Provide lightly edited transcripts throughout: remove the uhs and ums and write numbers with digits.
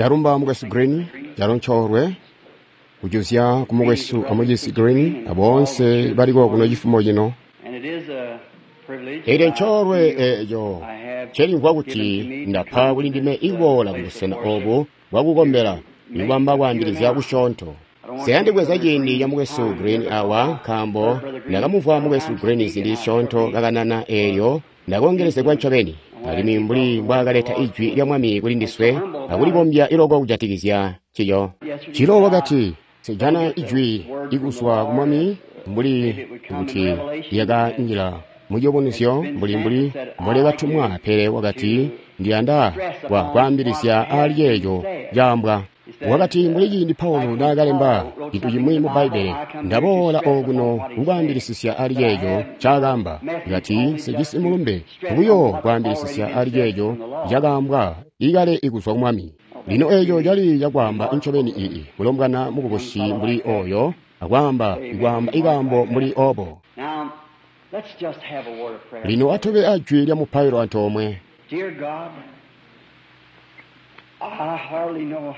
Ndalumba Mukwesu Green, calo ncoolwe kujuzya ku mukwesu amucizi Green aboonse baliko kuno cifumo cino. Elyo ncoolwe eeco ncelimvwa kuti ndapa kuli ndime ikuboola kubusena obu bwakukombela ikubamba kwaambilizya kusyoonto. Nsiyandi kubweza ciindi ca Mukwesu Green awa nkaambo ndakamumvwa Mukwesu Green ziindi zisyoonto kakanana eelyo ndakoongelezegwa ncobeni, alimwi mbuli mbwaakaleta ijwi lya Mwami kuli ndiswe akulibombya iloko kujatikizya ncico. Cilo wakati, Nsejana ijwi ikuzwa ku Mwami mbuli kuti lyakanjila muciyubunuzyo mbuli mbuli mbolyakatumwa, pele wakati, Ndiyanda kwa kwaambilizya aali ceeco caambwa. Wakati, mbuli ciindi Paulo naakalemba cintu cimwi mu Bbaibbele, ndaboola okuno kukwaambilisisya ali ceeco ncaakaamba. Kati, nsejisi mulumbe, buyo kwaambilisisya ali ceeco cakaambwa ikale ikuzwa ku Mwami. Lino eeco cali cakwaamba ncobeni ii mulombwana mukubusi mbuli oyo, akwaamba, ikwaamba ikaambo mbuli obo. Lino atube ajwi lya mupailo antoomwe.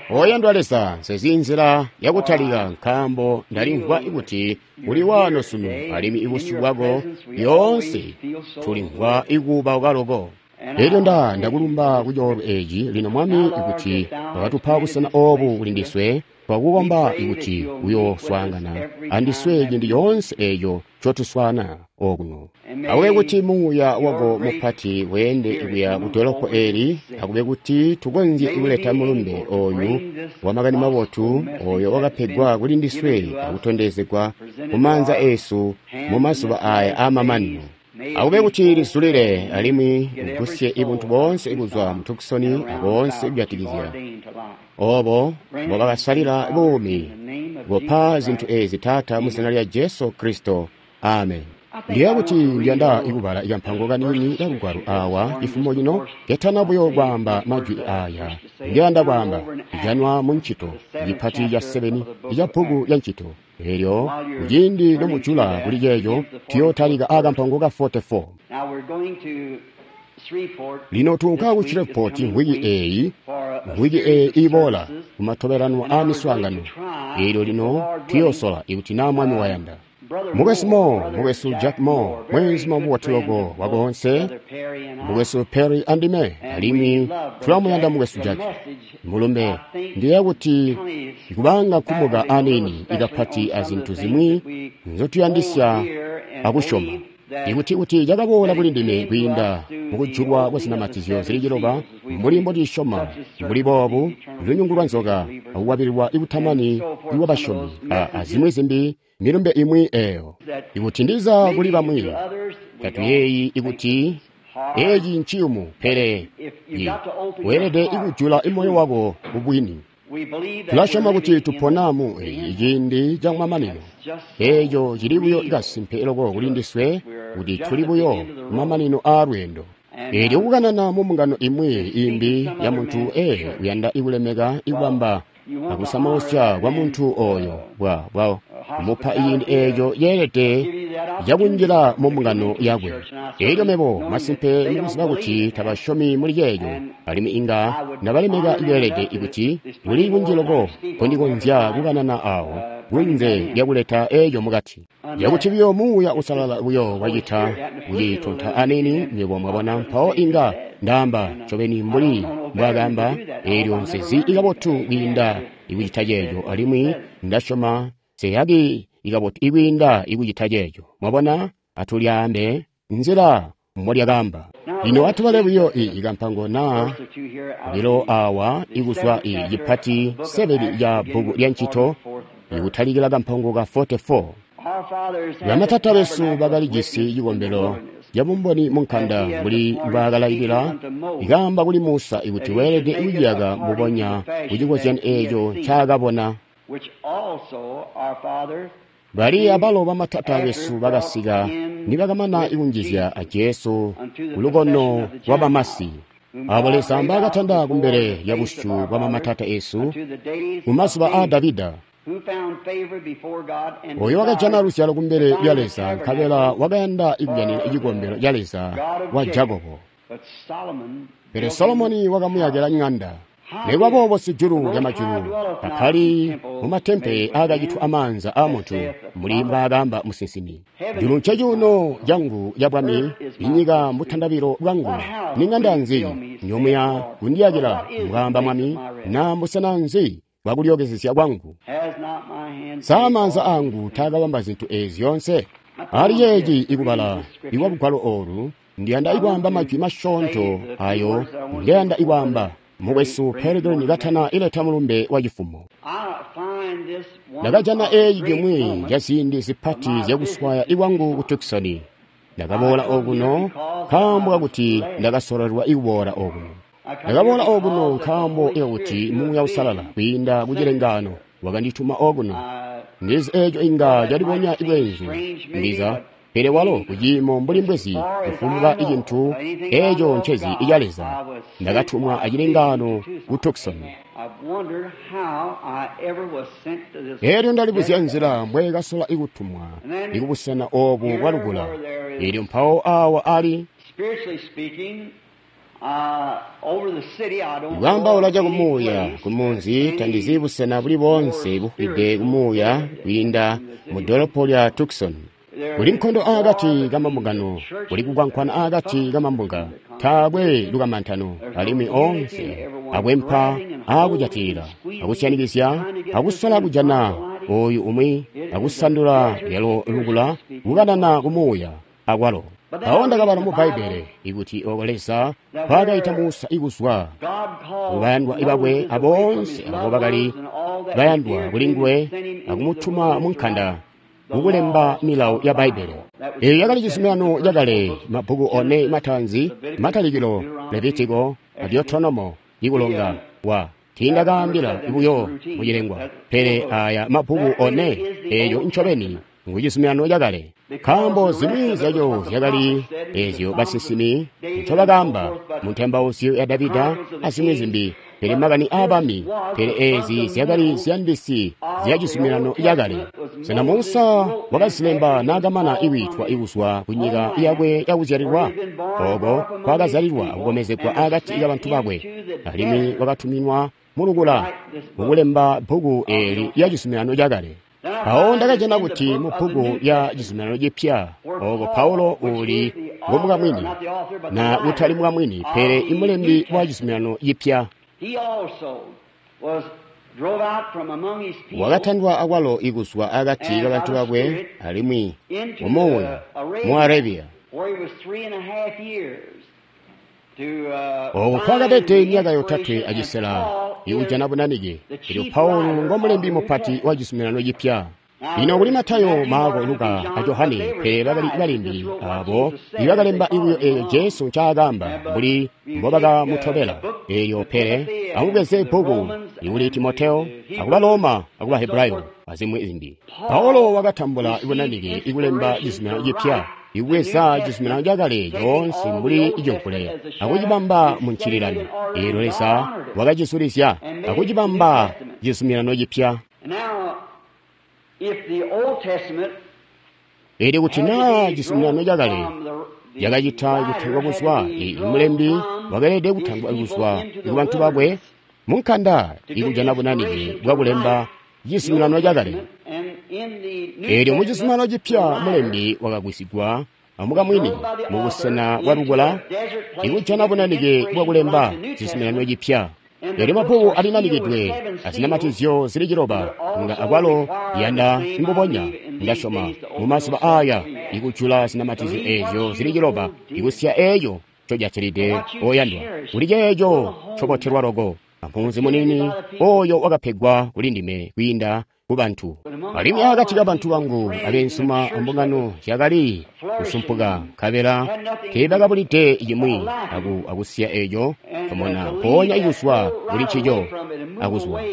Oyandwa Leza, nsezi nzila yakutalika nkaambo ndalimvwa kuti uli waano sunu, alimwi ibusyu bwako lyoonse tulimvwa ikuubauka loko. Elyo nda ndakulumba ku coolwe eeci lino, Mwami, ikuti wakatupa busena oobu kuli ndiswe, twakukomba ikuti uyooswaangana andiswe ciindi coonse eeco ncotuswaana okuno. Akube kuti Muuya wako mupati weende kuya ku dolopo eeli, akube kuti tukonzye kuleta mulumbe oyu wa Makani mabotu oyo wakapegwa kuli ndiswe akutondezegwa ku maanza eesu mu mazuba aya aamamanino. Akube kuti lizulile alimwi ugusye ibuntu boonse kuzwa mu Tucson aboonse kujatikizya obo mbobakasalila buumi. Kopa zintu ezi, Taata, mu zina lya Jesu Kristo. Amen. Ndiyeeya kuti ndiyanda kubala kampango kaniini ka Lugwalo awa cifumo cino, ketana buyo kwaamba majwi aya. Ndiyanda kwaamba, ijanwa mu Ncito, cipati ca 7 ica bbuku lya Ncito. Elyo kuciindi nomujula kuli ceeco, tuyotalika a kampango ka 44. Lino tuunka ku Shreveport mvwiki eeyi, mvwiki eeyi iboola, kumatobelanwa aa miswaangano. Elyo lino tuyoosola, ikuti na Mwami wayanda. Mukwesu Moore, Mukwesu Jack Moore, mweenzuma mubotu loko wakoonse, Mukwesu Perry andime, alimwi tulamuyanda Mukwesu Jack. Mulumbe, ndiyeeya kuti kubanga kumuka aniini ikapati azintu zimwi nzotuyandisya akusyoma. Ikuti kuti cakaboola kuli ndime kwiinda mukujulwa kwa zinamatizyo zili ciloba, mbuli mbotusyoma, mbuli boobu, lunyungu lwa nzoka, akukwabililwa ikutamani kwa basyomi, azimwi zimbi, milumbe imwi eyo. Ikuti ndiza kuli bamwi, tatuyeeyi ikuti eci nciyumu, pele weelede ikujula moyo wako kubwini. Tulasyoma kuti tupona mu ciindi camamanino. Eeco cili buyo kasimpe loko kuli ndiswe kuti tuli buyo kumamanino aa lweendo. Eelyo kukanana mu mbungano imwi imbi ya muntu uyanda ikulemeka ikubamba akusamausya kwa muntu oyo bwa kumupa ciindi eeco ceelede cakunjila mu mbungano yakwe. Elyo mebo masimpe mukuziba kuti tabasyomi muli ceeco, alimwi inga ndabalemeka beelede ikuti kuli kunji loko nkondikonzya kukanana awo kunze lyakuleta eeco mukati. Cakuti buyo Muuya Uusalala buyo wacita kucitonta aniini, nywebo mwabona, mpawo inga ndaamba ncobeni mbuli mbwaakaamba, eelyo nsezi ikabotu kwiinda ikucita ceeco, alimwi ndasyoma nseyaki ikabotu ikwiinda ikucita ceeco. Mwabona, atulyaambe nzila mbolyakaamba. Lino atubale buyo ikampango naa obilo awa ikuzwa cipati 7 ca bbuku lya Ncito, ikutalikila kampango ka 44. Bamatata besu bakalijisi cikombelo cabumboni munkanda mbuli mbwaakalailila ikaamba kuli Musa ikuti weelede kuciyaka mbubonya kucikozyano eeco ncaakabona. Bali abalo bamatata besu bakasika nibakamana ikunjizya a Jesu kulukono lwabamasi, abo Leza mbaakatanda kumbele lyabusyu bwa bamatata esu mumazuba aa Davida, oyo wakajana luzyalo kumbele lya Leza, nkabela wakayanda ikujanina cikombelo ca Leza wa Jakobo. Pele Solomoni wakamuyakila ŋanda. Nekubaboobo sijulu lyamajulu takkali mumatempele aakacitwa amaanza aamuntu, mbuli mbwaakaamba musinsimi. Julu ncecuuno cangu cabwami, inyika mbutandabilo bwangu. Niŋanda nzi njomuya kundiyakila, mbwaamba Mwami, naa mbusena nzi bwakulyookezezya kwangu? Sa maanza aangu taakabamba zintu eezi zyoonse? Ali ceeci ikubala ikwa lugwalo oolu, ndiyanda ikwaamba majwi masyoonto ayo ngeyanda ikwaamba mukwesu Peregrine katana ileta mulumbe wa cifumo. Ndakajana eeci cimwi ca ziindi zipati zyakuswaya ikwangu ku Tucson. Ndakaboola okuno nkaambo kakuti ndakasololelwa ikuboola okuno. Ndakaboola okuno nkaambo kakuti Muuya Uusalala kwiinda ku cilengaano wakandituma okuno. Ndizi eeco inga calibonya bweenzu, ndiza, pele walo kuciimo mbuli mbwezi kufumbwa icintu eeco ncezi ica Leza. Ndakatumwa acilengaano ku Tucson. Eelyo ndalibuzya nzila mbweekasola ikutumwa ikubusena oobu bwalukula. Eelyo mpawo aawa ali Kwaambaula cakumuuya kumunzi tandizi busena buli boonse bufwide kumuuya kwiinda mu dolopo lya Tucson. Kuli nkondo aakati kamambungano, kuli kukwankwana aakati kamambunga, taakwe lukamantano, alimwi oonse akwempa aakujatilila, akusyanikizya, akusola kujana ooyu umwi, akusandula lyalo lukula, kukanana kumuuya akwalo. Mpawo ndakabala mu Bbaibbele ikuti ooko Leza nkwaakaita Musa ikuzwa kubayandwa bakwe aboonse abo bakali bayandwa kuli nguwe akumutuma munkanda kukulemba milawo ya Bbaibbele. Eeyo yakali cizuminano cakale, mabbuku one mataanzi, Matalikilo, Levitiko, a Deuteronomo, ikulonga wa tiindakaambila buyo mucilengwa, pele aya mabbuku one eeyo ncobeni ngu cizuminano cakale. Nkaambo zimwi zyaco zyakali eezyo basinsimi ncobakaamba mu Ntembauzyo ya Davida azimwi zimbi, pele makani aabami, pele eezi zyakali ziyandisi zya cizuminano cakale. Sena Musa wakazilemba naakamana ikwiitwa ikuzwa kunyika yakwe yakuzyalilwa? Ooko nkwaakazyalilwa akukomezegwa akati kabantu bakwe, alimwi wakatuminwa mulukula kukulemba bbuku eeli lya cizuminano cakale. Mpawo ndakajana kuti mu bbuku lya cizuminano cipya, ooko Paulo uuli ngomukamwini, na kutali mukamwini, pele imulembi wa cizuminano cipya, wakatandwa akwalo ikuzwa akati kabantu bakwe alimwi mumuuya mu Arabia, ooko nkwaakabede myaka yotatwe acisela ikujana bunanike. Elyo Paulo ngomulembi mupati wa cizuminano cipya. Lino kuli Matayo, Maako, Luka a Johane, pele bakali balembi abo ibakalemba ibuyo eeyo Jesu ncaakaamba mbuli mbobakamutobela. Eelyo pele amubweze bbuku ikuli Timoteo, akuba Loma, akuba Hebrayo, azimwi zimbi. Paulo wakatambula ibunanike ikulemba cizuminano cipya, ikubweza cizuminano cakale coonse mbuli icimvule akucibamba mu ncililano. Eelyo Leza wakacizulizya akucibamba cizuminano cipya. Eelyo kuti naa cizuminano cakale cakacita kutandwa kuzwa, imulembi wakeelede kutandwa kuzwa kubantu bakwe munkanda ikujana bunanike bwakulemba cizuminano cakale. Eelyo mu cizuminano cipya mulembi wakagwisigwa amukamwini mubusena bwalukula ikujana bunanike bwakulemba cizuminano cipya. Eelyo mabbuku alinanikidwe azinamatizyo zili ciloba nga akwalo yanda mbubonya ndasyoma mumazuba aaya ikujula zinamatizyo eezyo zili ciloba ikusiya eeco ncojatilide oyandwa kuli ceeco ncobotelwa loko ampunzi munini oyo wakapegwa kuli ndime kwiinda kubantu. Alimwi akati kabantu bangu abeensuma ambungano zyakali kusumpuka, nkabela teebakabulide cimwi akusiya eeco tomona mpoonya ikuzwa kuli ncico akuzwa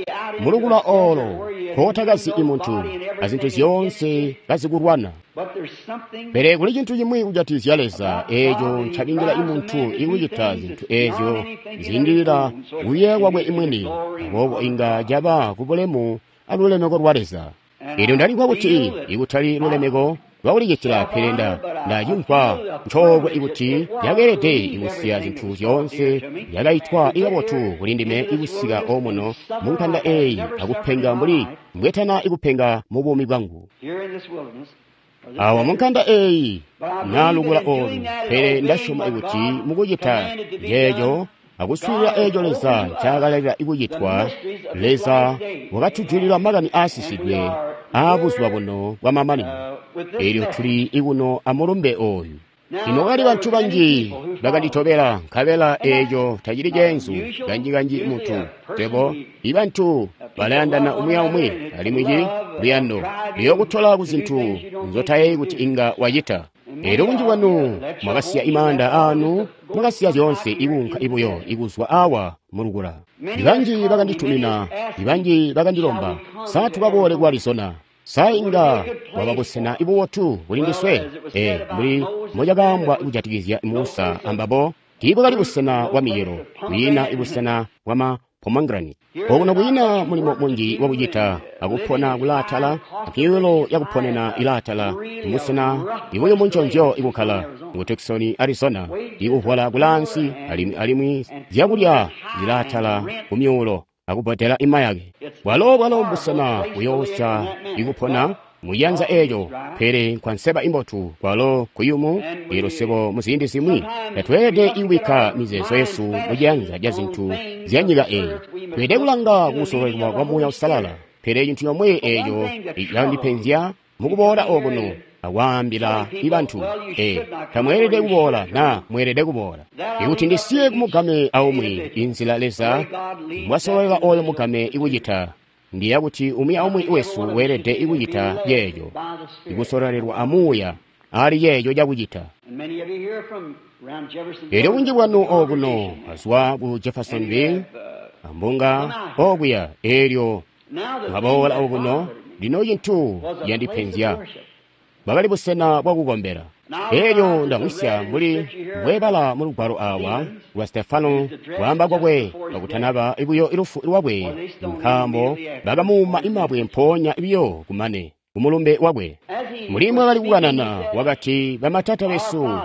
mulukula oolo nkootakazi imuntu azintu zyoonse kazikulwana. Pele kuli cintu cimwi kujatikizya Leza eeco ncabingila imuntu ikucita zintu eezyo ziindilila kuyeeya kwakwe imwini, aboobo inga caba kubulemu alulemeko lwa Leza. Eelyo ndalimvwa kuti ikutali lulemeko lwakulicitila, pele Nda cimvwa ncoolwe ikuti yakeelede kusiya zintu zyoonse yakaitwa ikabotu kuli ndime ikusika omuno mu nkanda eyi akupenga mbuli mbwetana ikupenga mu buumi bwangu awa mu nkanda eyi nalukula olu. Pele ndasyoma ikuti mukucita yeeco akuswiilila eeco Leza ncaakalalila ikucitwa, Leza wakatujulila makani aasisidwe aabuzuba buno bwamamanino. Eelyo tuli ikuno amulumbe oyu. Lino kwakali bantu banji bakanditobela, nkabela eeco tacili ceenzu. Kanji-kanji muntu tebo ibantu balayandana umwi aumwi, alimwi ci luyando luyookutola ku zintu nzotayeeyi kuti inga wacita. Eelyo bunji bwanu mwakasiya imaanda aanu, mwakasiya zyoonse ikuunka ibuyo ikuzwa awa mulukula. Ibanji bakanditumina, ibanji bakandilomba, sa tukaboole ku Arizona? Sa inga waba busena ibubotu kuli ndiswe? Mbuli mbocakaambwa kujatikizya Musa ambabo, tiibwakali busena bwa micelo, kwiina ibusena bwa pomegranate. Okuno kwiina mulimo munji wakucita akupona kulaatala, miyulo yakuponena ilaatala, musena ibuyumu nconzyo ikukkala mu Tucson, Arizona, ikuhwala kulaansi alimwi zyakulya zilaatala kumyuulo akubbodela imayake. Bwalo mbusena buyoosya ikupona muyanza eeco, pele nkwanseba imbotu kwalo kuyumu. Eelyo swebo muziindi zimwi tatweelede ikubikka mizeezo yesu muciyanza ca zintu zya nyika eyi. Tweelede kulanga kukusololelwa kwa Muuya Uusalala. Pele cintu comwe eeco candipenzya mukuboola okuno akwaambila ibantu, tamweelede kuboola na mweelede kuboola. Ikuti ndisiye kumugame aumwi inzila Leza mbwasololela oyo mugame ikucita, ndiya kuti umwi aumwi wesu weelede ikucita yeeco, ikusololelwa amuuya ali yeeco cakucita. Eelyo bunji bwanu okuno azwa ku Jeffersonville ambunga okuya, eelyo mwaboola okuno. Lino cintu yandipenzya bwakali busena bwakukombela. Eelyo ndamwisya mbuli mbwebala mu lugwalo awa lwa Stefano kwaamba kwakwe kakutanaba buyo lufu lwakwe, nkaambo bakamuuma imabwe mpoonya biyo kumane kumulumbe wakwe. Mbuli mwakali kukanana wakati, bamatata besu,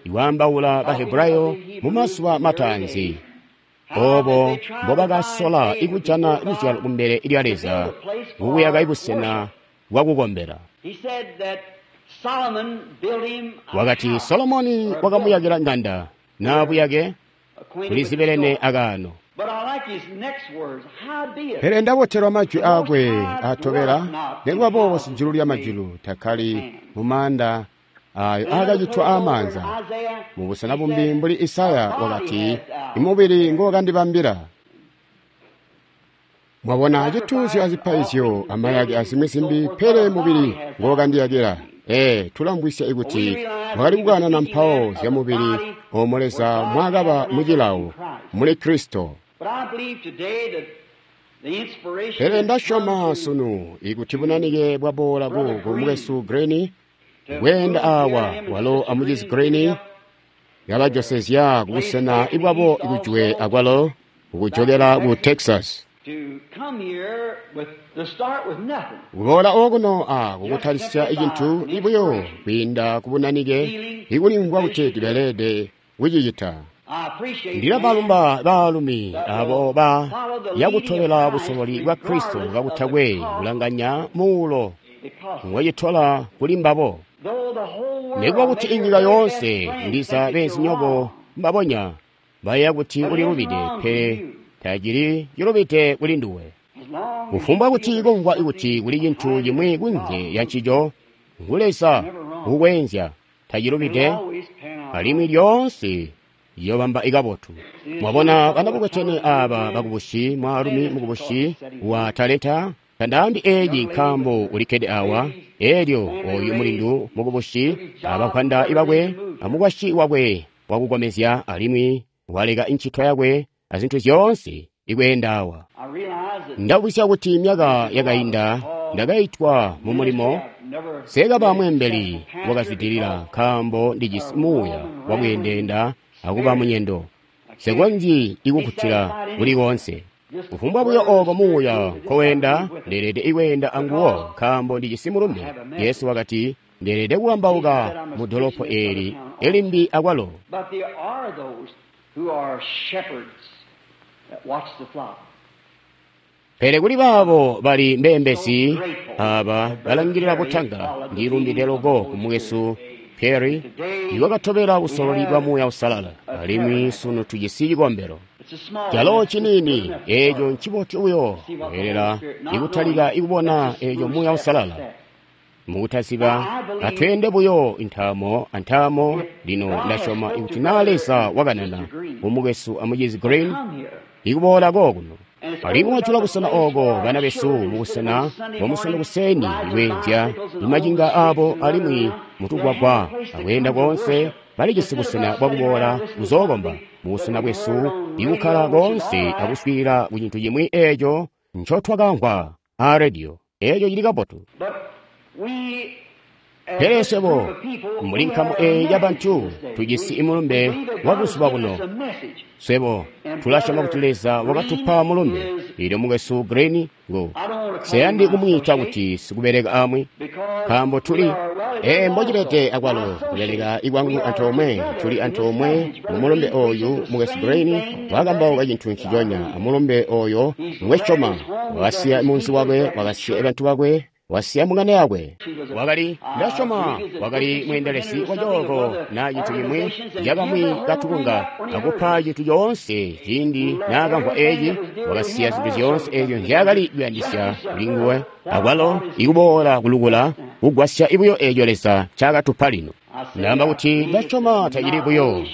iwaambaula Bahebrayo mu mazuba mataanzi, obo mbobakasola ikujana luzyalo kumbele lya Leza kukuyaka ibusena bwakukombela. Wakati Solomoni wakamuyakila nganda na buyake kulizibelene akaano. Pele ndabotelwa majwi aakwe atobela, nikuba boobo sijulu lya majulu takkali mumaanda ayo aakacitwa aamaanza. Mubusena bumbi mbuli Isaya wakati, imubili ngowakandibambila. Mwabona cituuzyo azipaizyo amayake azimwi zimbi, pele mubili ngowakandiyakila. Tulambwisya ikuti mwakali kukanana mpawo zya mubili omo Leza mwakaba mucilawo muli Kristo. Pele ndasyoma sunu ikuti bunanike bwaboola ku mukwesu Green kweenda awa walo amucizi Green yabajosezya kubusena ibwabo ikujwe akwalo kukujokela ku Texas. Kuboola okuno a kukutalisya icintu ibuyo kwiinda kubunanike ikulimvwa kuti tibelede kucicita. Ndilabalumba baalumi abo ba yakutobela busololi bwa Kristo kakutakwe kulanganya muulo ngwacitola kuli mbabo. Nikuba kuti inyika yoonse ndiza beenzinyoko mbabonya bayeeya kuti ulilubide, pele tacili cilubide kuli nduwe. Kufumbwa kuti kumvwa kuti kuli cintu cimwi kunze ya ncico, ngu Leza ukwenzya, tacilubide, alimwi lyoonse yobamba ikabotu. Mwabona banabukwetene aba bakubusi, mwaalumi mukubusi wa talenta, tandaambi eeci nkaambo ulikkede awa, eelyo oyu mulindu mukubusi abakwanda ibakwe amukwasyi wakwe wakukomezya, alimwi waleka incito yakwe azintu zyoonse ikweenda awa. Ndabwisya kuti myaka yakainda ndakaitwa mu mulimo, sekaba mweembeli wakazwidilila nkaambo ndijisi muuya wakuyendenda akuba munyendo. Sekonzyi ikukkutila kuli koonse. Kufumbwa buyo ooko muuya nkowenda, ndeelede ikweenda anguwo nkaambo ndijisi mulumbe. Yesu wakati, Ndeelede kukambauka mu dolopo eli elimbi akwalo. Pele kuli baabo bali mbeembezi aba balangilila butanga, ndilumbide loko ku mukwesu Perry iwakatobela busololi bwa Muuya Uusalala, alimwi sunu tujisi cikombelo calo ciniini. Eeco ncibotu buyo kweelela ikutalika ikubona eeco Muuya Uusalala mukutaziba. Atweende buyo intaamo antaamo. Lino ndasyoma ikuti naa Leza wakanana kumukwesu amucizi Green ikuboola kookuno, alimwi wajula busena ooko bana besu mubusena bwamusondo kuseni ikweenzya imacinga aabo alimwi mutugwagwa akweenda koonse, balijisi busena bwakuboola kuzookomba mubusena bwesu ikukkala koonse akuswiilila ku cintu cimwi eeco ncotwakamvwa aa rediyo. Eeco cili kabotu. Pele swebo mbuli nkamu eeyi yabantu tujisi imulumbe wa buzuba buno. Swebo tulasyoma kuti Leza wakatupa mulumbe. Elyo mukwesu Green ngo seyandi kumwiita kuti sikubeleka amwi, nkaambo tuli mbocibede akwalo kubeleka ikwangu antoomwe. Tuli antoomwe mu mulumbe oyu. Mukwesu Green wakambauka cintu nciconya amulumbe oyo ngwesyoma. Wakasiya munzi wakwe, wakasiya bantu bakwe, wasiya mung'anda yakwe. Wakali, ndasyoma, wakali mweendelezi wa cooko na cintu cimwi cakamwi katukunga akupa cintu coonse. Ciindi naakamvwa eeci, wakasiya zintu zyoonse eezyo nzyaakali kuyandisya kuli nguwe akwalo ikuboola kulukula kugwasya ibuyo eeco Leza ncaakatupa lino. Ndaamba kuti ndasyoma tacili buyo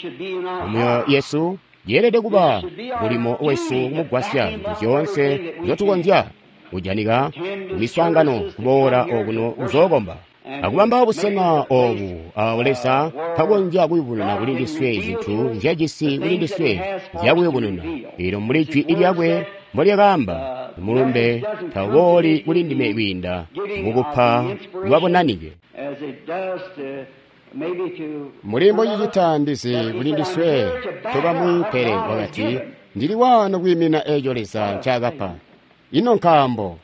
mumyoyo yesu, yeelede kuba mulimo wesu kumugwasya zintu zyoonse nzyotukonzya kujanika kumiswaangano, kuboola okuno kuzookomba akubamba busena oobu awo Leza mpakonzya kuyubununa kuli ndiswe zintu nzyajisi kuli ndiswe nzyakuyubununa. Eelyo mbuli jwi lyakwe mbolyakaamba, mulumbe tawubooli kuli ndime kwiinda mukupa lwabunanike. Muli mbocicita ndizi kuli ndiswe tobamwi, pele wakati, ndili waano kwiimina eeco Leza ncaakapa. Ino nkaambo?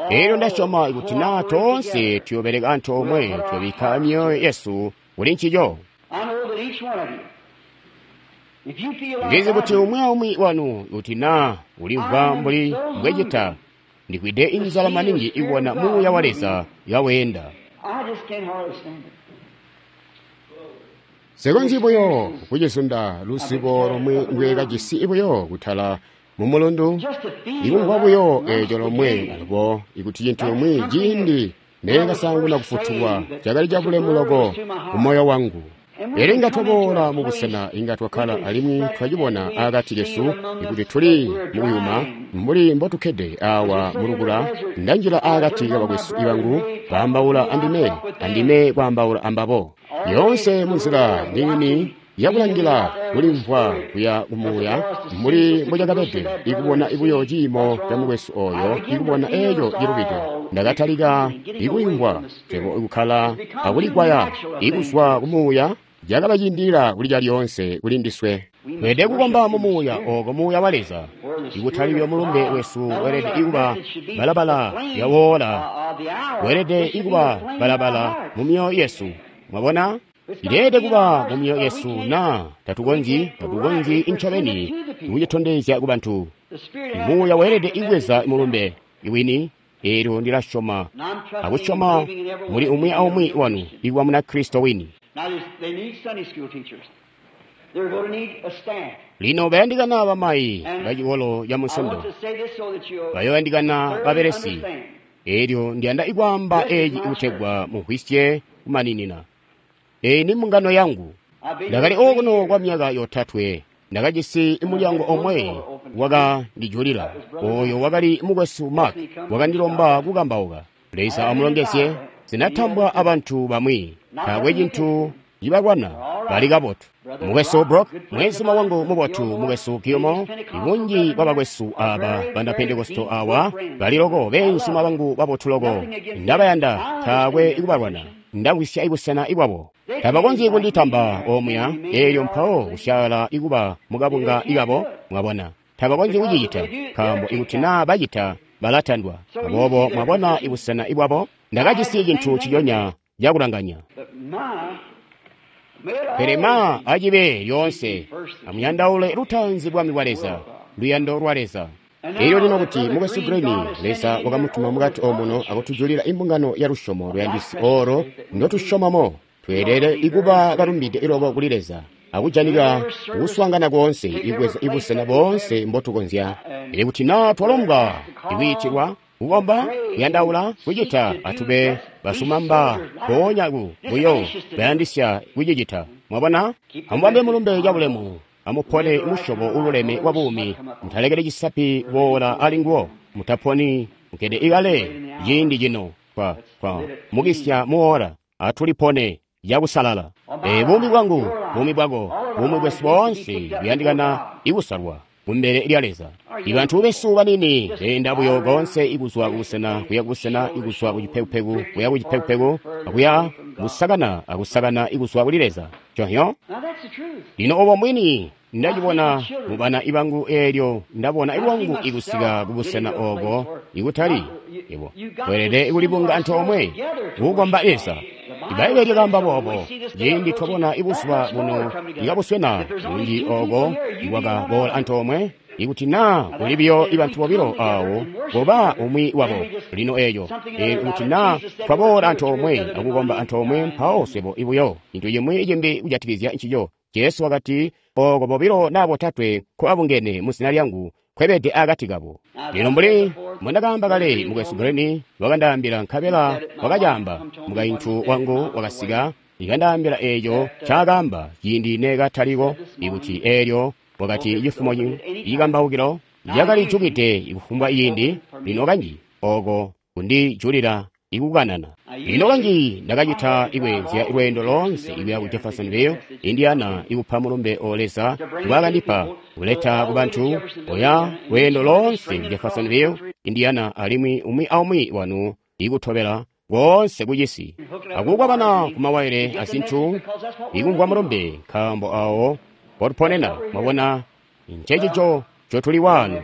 Elyo ndasyoma kuti naa toonse tuyoobeleka antoomwe, tuyobikka myoyo yesu kuli ncico. Ndizi kuti umwi aumwi wanu, kuti naa ulimvwa mbuli mbwecita, ndikwide inzala maningi ikubona Muuya wa Leza kaweenda. Nsikonzyi buyo kucizunda luzibo lomwe ndwekajisi buyo kutala mumulundu, ikumvwa buyo eeco lomwe alubo ikuti cintu cimwi ciindi neekasaanguna kufutulwa cakali cabulemu loko kumoyo wangu. Pele inga twaboola mubusena inga twakkala alimwi twacibona akati kesu ikuti tuli mukuyuma mbuli mbotukkede awa mulukula. Ndanjila akati kabakwesu ibangu baambaula andime, andime kwaambaula ambabo. Yoonse munzila niini yakulangila kulimvwa kuya kumuuya mbuli mbocakabede, ikubona ibuyo ciimo ca mukwesu oyo, ikubona eeco cilubide. Ndakatalika ikulimvwa swebo ikukkala akulikwaya ikuzwa kumuuya cakabacindilila kuli calyoonse kuli ndiswe. Tweelede kukomba mu Muuya ooko Muuya wa Leza, ikutali buyo mulumbe wesu weelede ikuba balabala yawoola, weelede ikuba balabala mu myoyo yesu. Mwabona? Ileelede kuba mu myoyo yesu naa tatukonzyi incobeni kucitondezya kubantu. Muuya weelede ikubweza mulumbe iwini. Eelyo ndilasyoma akusyoma muli umwi aumwi wanu ikuba Munakristo wini. Lino bayandikana bamayi bacikolo ca Munsondo, bayoyandikana babelesi. Eelyo ndiyanda ikwaamba eeci kutegwa mumvwisye kumaninina. Eeyi ni mbungano yangu. Ndakali okuno kwa myaka yotatwe. Ndakajisi mulyango omwe wakandijulila. Oyo wakali mukwesu Mark, wakandilomba kukambauka. Leza amulongezye. Zinatambwa abantu bamwi, taakwe cintu cibalwana, bali kabotu. Mukwesu Brock, mwenzuma wangu mubotu, mukwesu Gilmore, ibunji bwabakwesu aba bana Pentekosto awa bali loko beenzuma bangu babotu loko. Ndabayanda, taakwe ikubalwana. Ndamvwisya ibusena ibwabo. Tabakonzyi kunditamba omuya, eelyo mpawo kusyala ikuba mukabunga ikabo, mwabona. Tabakonzyi kucicita, nkaambo ikuti naa bacita balatandwa. Aboobo mwabona ibusena ibwabo. Nda kajisi cintu nciconya cakulanganya. Pele ma acibe lyoonse, amuyandaule lutaanzi bwami bwa Leza, luyando lwa Leza. Elyo lino kuti Mukwesu Green, Leza wakamutuma mukati omuno akutujulila imbungano ya lusyomo luyandisi olo ndotusyomamo. Tweelede ikuba balumbide iloko kuli Leza, akujanika kuswaangana koonse, ibweza ibusena boonse mbotukonzya. Elyo kuti naa twalombwa ikwiitilwa, kukomba, kuyandaula, kucita, atube basumamba mpoonya ku buyo bayandisya kucicita. Mwabona? Amubambe mulumbe cabulemu. Amupone musyobo ululeme wa buumi. Mutalekele cisapi kuboola ali nguwo. Mutaponi mukede ikale ciindi cino kwa mukisya muola. Atulipone cakusalala. Buumi bwangu, buumi bwako, buumi bwesu boonse buyandikana ikusalwa kumbele lya Leza. Ibantu besu banini beenda buyo koonse ikuzwa kubusena kuya kubusena, ikuzwa kucipekupeku kuya kucipekupeku, akuya kusakana akusakana ikuzwa kuli Leza. Conhyo? Lino obo mwini ndacibona mubana ibangu eelyo ndabona ilwangu ikusika kubusena obo ikutali ibo. Tweelede ikulibunga antoomwe kukomba Leza. Ibbaibbele lyakaamba boobo. Ciindi twabona ibuzuba buno ikabuswena bunji oko ikwakaboola antoomwe, ikuti naa kuli biyo ibantu bobilo awo koba umwi wabo. Lino eeyo ikuti naa twaboola antoomwe akukomba antoomwe, mpawo swebo ibuyo cintu cimwi cimbi kujatikizya ncico. Jesu wakati, oko bobilo naa botatwe nkobabungene mu zina lyangu, nkwebede akati kabo. Lino mbuli mbwendakaamba kale, Mukwesu Green wakandaambila, nkabela wakacaamba. Mukaintu wangu wakasika ikandaambila eeco ncaakaamba ciindi neekataliko, ikuti eelyo wakati cifumo ikambaukilo yakalijukide kufumbwa ciindi. Lino kanji oko kundijulila ikukanana. Lino kanji ndakacita ikweenzya lweendo loonse ikuya ku Jeffersonville, Indiana, ikupa mulumbe o Leza ngwaakandipa kuleta kubantu oya lweendo loonse ku Jeffersonville, Indiana, alimwi umwi aumwi wanu ikutobela koonse kucisi akukwabana kumawaile azintu ikumvwa mulumbe, nkaambo awo mpotuponena. Mwabona, ncecico ncotuli waano.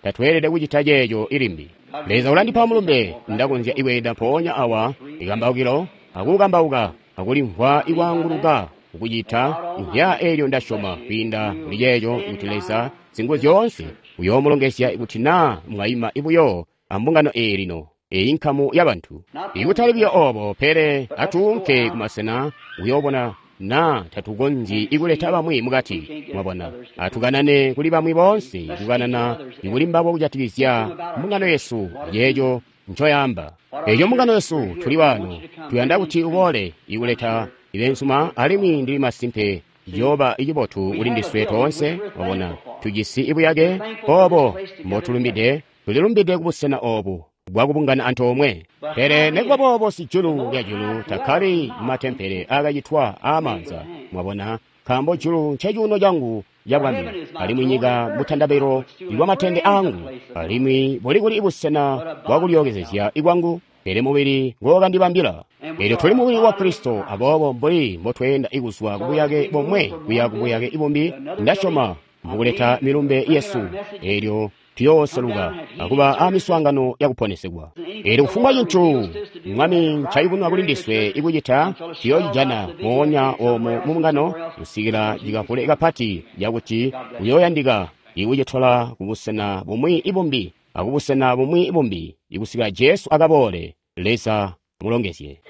Tatweelede kucita ceeco ilimbi. Leza ulandipa mulumbe, ndakonzya ikweenda mpoonya awa ikambaukilo akukambauka akulimvwa ikwaanguluka kukucita nhya eelyo ndasyoma kwiinda kuli ceeco kuti Leza zingu zyoonse uyoomulongezya ikuti naa mwaima ibuyo ambungano eyi lino, eyi nkamu yabantu. Ikutali buyo obo, pele atuunke kumasena uyoobona naa tatukonzyi ikuleta bamwi mukati. Mwabona, atukanane kuli bamwi boonse, kukanana ikuli mbabo kujatikizya mbungano yesu yeeco ncoyaamba. Eeco mbungano yesu tuli waano, tuyanda kuti uboole ikuleta ibensuma, alimwi ndili masimpe ciyooba icibotu kuli ndiswe toonse. Mwabona, tujisi ibuyake obo mbotulumbide, tulilumbide kubusena obu bwakubungana antoomwe. Pele nikuba boobo sijulu lya julu takkali mumatempele aakacitwa aamaanza. Mwabona, nkaambo julu ncecuuno cangu cabwami, alimwi nyika mutandabelo iwamatende aangu, alimwi buli kuli busena bwakulyookezezya ikwangu, pele mubili ngookandibambila. Eelyo tuli mubili wa Kristo, aboobo mbuli mbotweenda ikuzwa kubuyake bomwe kuya kubuyake bumbi, ndasyoma mukuleta milumbe yesu, eelyo tuyooseluka akuba amiswaangano yakuponesegwa. Eelyo kufumbwa cintu Mwami ncayubununa kuli ndiswe ikucita, tuyocijana moonya oomo mumbungano kusikila cikavule kapati cakuti kuyooyandika ikucitola kubusena bumwi ibumbi akubusena bumwi ibumbi ikusikila Jesu akaboole. Leza mulongezye.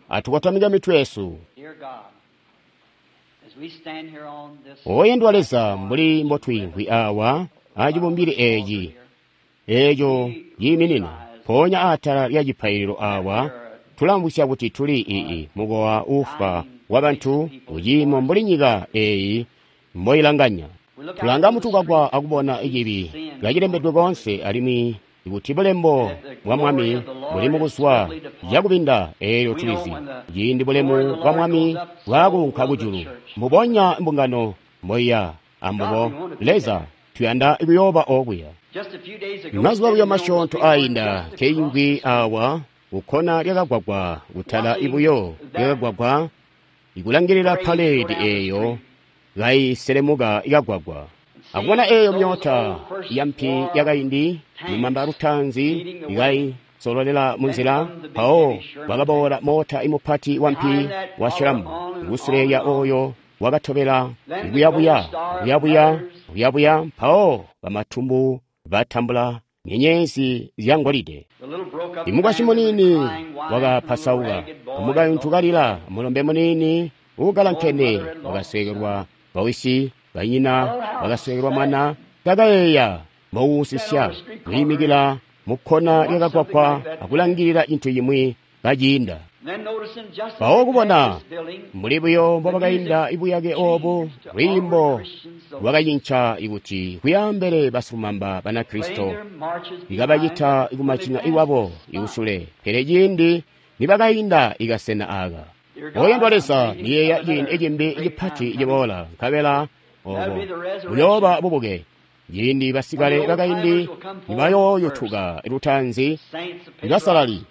Atukotamike mitwe yesu. Oyendwa Leza, mbuli mbotwiimvwi awa acibumbili eeci eeco ciiminina mpoonya atala lya cipaililo awa, tulamvwisya kuti tuli ii mukowa uufwa wabantu kuciimo mbuli nyika eeyi mboilanganya. Tulanga mutukakwa akubona icibi kacilembedwe koonse, alimwi ikuti bulembo bwa Mwami buli mukuzwa cakubinda, eelyo tulizi ciindi bulemu bwa Mwami bwaakuunka kujulu, mbubonya mbungano mboiya ambubo. Leza, tuyanda kuyooba okuya. Mazuba buyo masyoonto aayinda nkeyingwi awa kukkona lyakagwagwa, kutala ibuyo lyakagwagwa, ikulangilila paledi eeyo kaiselemuka ikagwagwa, akubona eeyo myoota yampi yakaindi lumamba lutaanzi sololela munzila, mpawo kwakaboola moota imupati wampi wa Shiramu, kusule lya oyo wakatobela kuyabuya, kuyabuya, kuyabuya, mpawo bamatumbu batambula nyenyezi zya ngolide. Imukwasyi muniini wakapasauka, mukaintu kalila, mulombe muniini uukalankene wakasweekelwa bawisi, banyina wakasweekelwa mwana. Kakayeeya mbowuusisya kwiimikila mukkona lyakagwagwa akulangilila cintu cimwi kaciinda. Mpawo kubona mbuli buyo mbobakainda ibuyake oobu, lwiimbo lwakacinca ikuti kuyaambele basilumamba Banakristo ikabacita kumacina iwabo ikusule. Pele ciindi nibakainda ikasena aaka, oyandwa Leza, niyeeya ciindi cimbi cipati ciboola, nkabela obo buyooba bubuke. Ciindi basikale bakaindi nibayooyutuka lutaanzi, basalali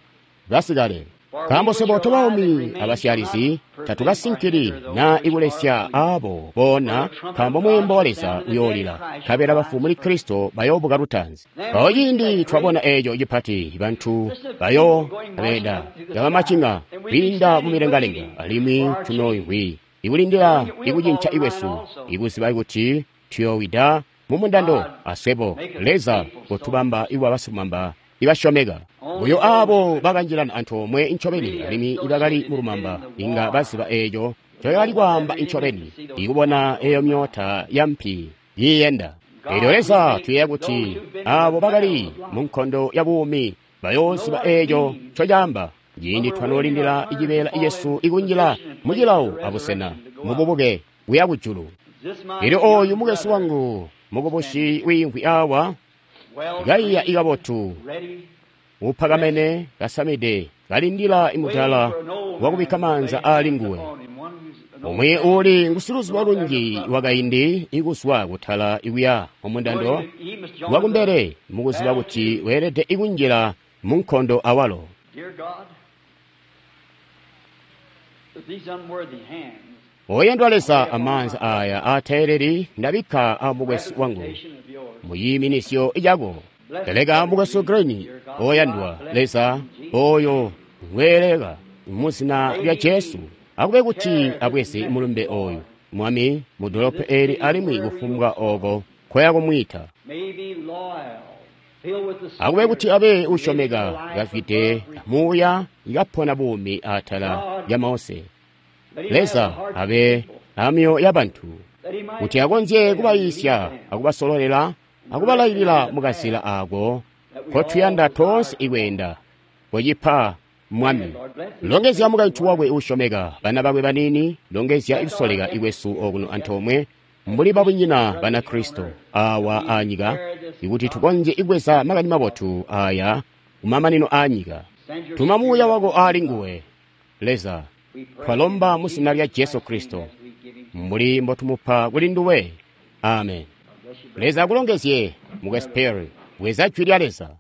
basikale. Nkaambo swebo tobaumi abasyalizi tatukasinkili naa ikulesya aabo boona, nkaambo mweembo wa Leza uyoolila, nkabela bafu muli Kristo bayoobuka lutaanzi. Mpawo ciindi twabona eeco cipati, bantu bayoobeda kabamacinga kwiinda mumilengalenga, alimwi tunooimvwi ikulindila ikucinca ikwesu, ikuziba kuti tuyoowida mumundando aswebo. Leza kotubamba ikuba basilumamba ibasyomeka. Buyo aabo bakanjilana antoomwe ncobeni alimwi ibakali mulumamba inga baziba eeco ncoyakali kwaamba ncobeni, ikubona eeyo myoota yampi yiiyenda. Eelyo Leza tuyeeya kuti aabo bakali munkondo ya buumi bayooziba eeco ncocaamba ciindi twanoolindila icibeela cesu ikunjila mucilawo abusena mububuke kuya kujulu. Eelyo ooyu mukwesu wangu mukubusi wiimvwi awa kaiya ikabotu, upakamene kasamide, kalindila imudala wakubikka maanza aali nguwe. Umwi uuli ngusiluzubo lunji wakaindi ikuzwa kutala ikuya mumundando wakumbele, mukuziba kuti weelede ikunjila munkondo awalo. Oyandwa Leza, amaanza aya aateeleli ndabikka amukwesu wangu muyiiminisyo yako. Teleka mukwesu Green, oyandwa Leza, oyo ngweeleka muzina lya Jesu, akube kuti abweze mulumbe oyu, Mwami, mudolopo eli alimwi kufumbwa oko nkoya kumwiita. Akube kuti abe usyomeka, kazwide muuya, ikapona buumi atala lya Mose. Leza abe amyoyo yabantu, kuti akonzye kubayiisya akubasololela akubalailila mukazila aako nkotuyanda toonse ikweenda. Kocipa Mwami. Longezya mukaintu wakwe uusyomeka, bana bakwe baniini, longezya ikusoleka ikwesu okuno antoomwe mbuli babunyina Banakristo awa aanyika, ikuti tukonzye ikubweza makani mabotu aya kumamanino aanyika. Tuma muuya wako aali nguwe, Leza. Twalomba mu zina lya Jesu Kristo, mbuli mbotumupa kuli nduwe. Amen. Leza akulongezye, mukwesu Perry. Bweza jwi lya Leza.